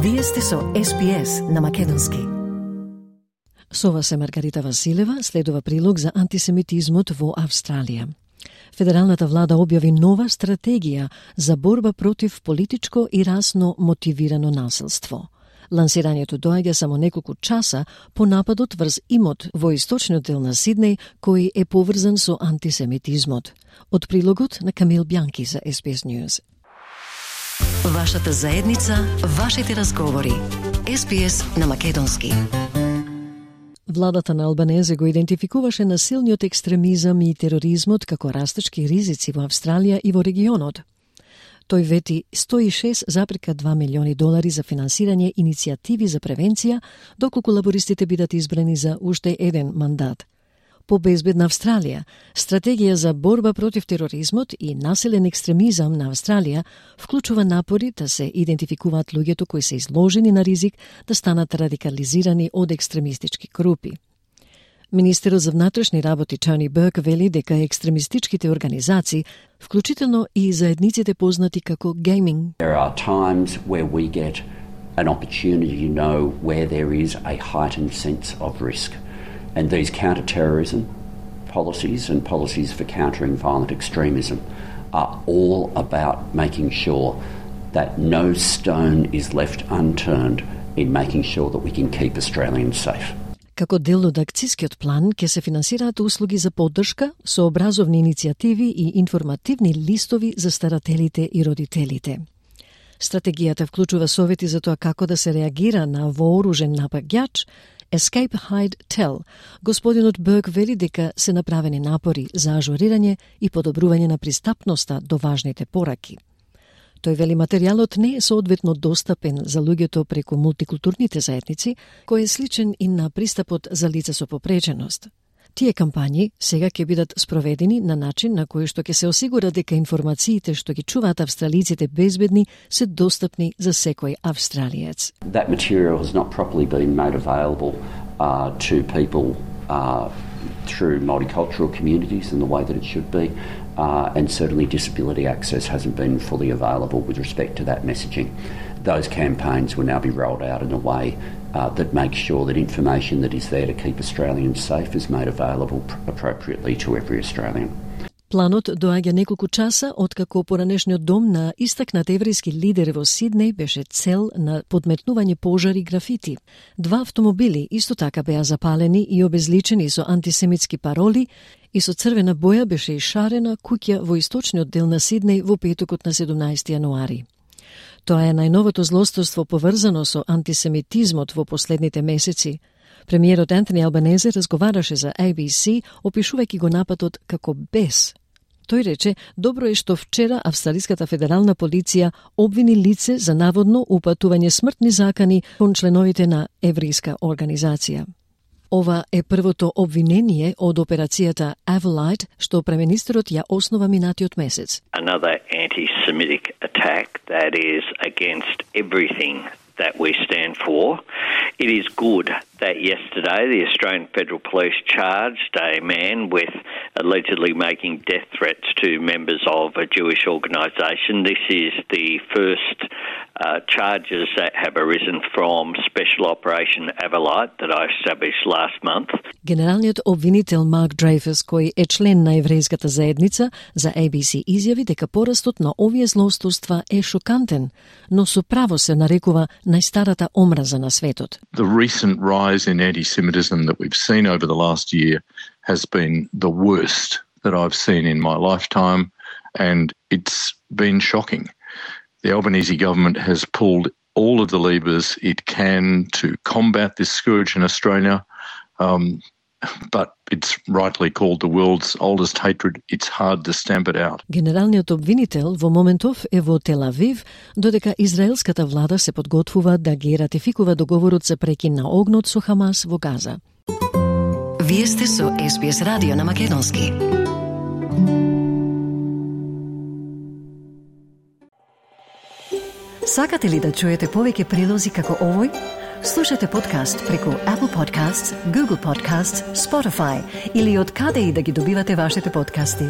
Вие сте со SPS на Македонски. Со вас е Маргарита Василева, следува прилог за антисемитизмот во Австралија. Федералната влада објави нова стратегија за борба против политичко и расно мотивирано насилство. Лансирањето доаѓа само неколку часа по нападот врз имот во источниот дел на Сиднеј, кој е поврзан со антисемитизмот. Од прилогот на Камил Бјанки за SBS News. Вашата заедница, вашите разговори. SBS на Македонски. Владата на Албанезе го идентификуваше насилниот екстремизам и тероризмот како растечки ризици во Австралија и во регионот. Тој вети $106,2 милиони за финансирање иницијативи за превенција, доколку лабористите бидат избрани за уште еден мандат. По безбедна Австралија, стратегија за борба против тероризмот и насилен екстремизам на Австралија вклучува напори да се идентификуваат луѓето кои се изложени на ризик да станат радикализирани од екстремистички групи. Министерот за внатрешни работи Тони Бурк вели дека екстремистичките организации, вклучително и заедниците познати како гейминг. There are times where we get an opportunity to know where there is a heightened sense of risk. And these counter-terrorism policies and policies for countering violent extremism are all about making sure that no stone is left unturned in making sure that we can keep Australians safe. Како дел од акцискиот план ќе се финансираат услуги за поддршка, сообразовни иницијативи и информативни листови за старателите и родителите. Стратегијата вклучува совети за тоа како да се реагира на вооружен напаѓач, Escape, Hide, Tell. Господинот Бурк вели дека се направени напори за ажурирање и подобрување на пристапноста до важните пораки. Тој вели материјалот не е соодветно достапен за луѓето преку мултикултурните заедници, кој е сличен и на пристапот за лица со попреченост. Тие кампањи сега ќе бидат спроведени на начин на кој што ќе се осигура дека информациите што ги чуваат австралиците безбедни се достапни за секој австралиец. That material has not properly been made available to people through multicultural communities in the way that it should be, and certainly disability access hasn't been fully available with respect to that messaging. Those campaigns will now be rolled out in a way that makes sure that information that is there to keep Australians safe is made available appropriately to every Australian. Планот доаѓа неколку часа откако поранешниот дом на истакнат еврејски лидер во Сиднеј беше цел на подметнување пожари графити. 2 автомобили исто така беа запалени и обезличени со антисемитски пароли и со црвена боја беше ишарена куќа во источниот дел на Сиднеј во петокот на 17 јануари. Тоа е најновото злосторство поврзано со антисемитизмот во последните месеци. Премиерот Антони Албанезе разговараше за ABC, опишувајќи го нападот како бес. Тој рече, добро е што вчера Австралиската федерална полиција обвини лице за наводно упатување смртни закани кон членовите на еврејска организација. Ова е првото обвинение од операцијата Avalite, што премиерот ја основа минатиот месец. Another anti-Semitic attack that is against everything that we stand for. It is good that yesterday the Australian Federal Police charged a man with allegedly making death threats to members of a Jewish organisation. This is the first charges that have arisen from Special Operation Avalite that I established last month. Генералниот обвинител Марк Дрейфус, кој е член на еврејската заедница, за ABC изјави дека порастот на овие злосторства е шокантен, но со право се нарекува најстарата омраза на светот. The recent rise in anti-Semitism that we've seen over the last year has been the worst that I've seen in my lifetime, and it's been shocking. The Albanese government has pulled all of the levers it can to combat this scourge in Australia, but it's rightly called the world's oldest hatred. It's hard to stamp it out. Генералниот обвинител во моментов е во Тел Авив, додека израелската влада се подготвува да ги ратификува договорот за прекин на огнот со Хамас во Газа. Вие сте со SBS радио на Македонски. Сакате ли да чуете повеќе прилози како овој? Слушате подкаст преку Apple Podcasts, Google Podcasts, Spotify или од каде и да ги добивате вашите подкасти.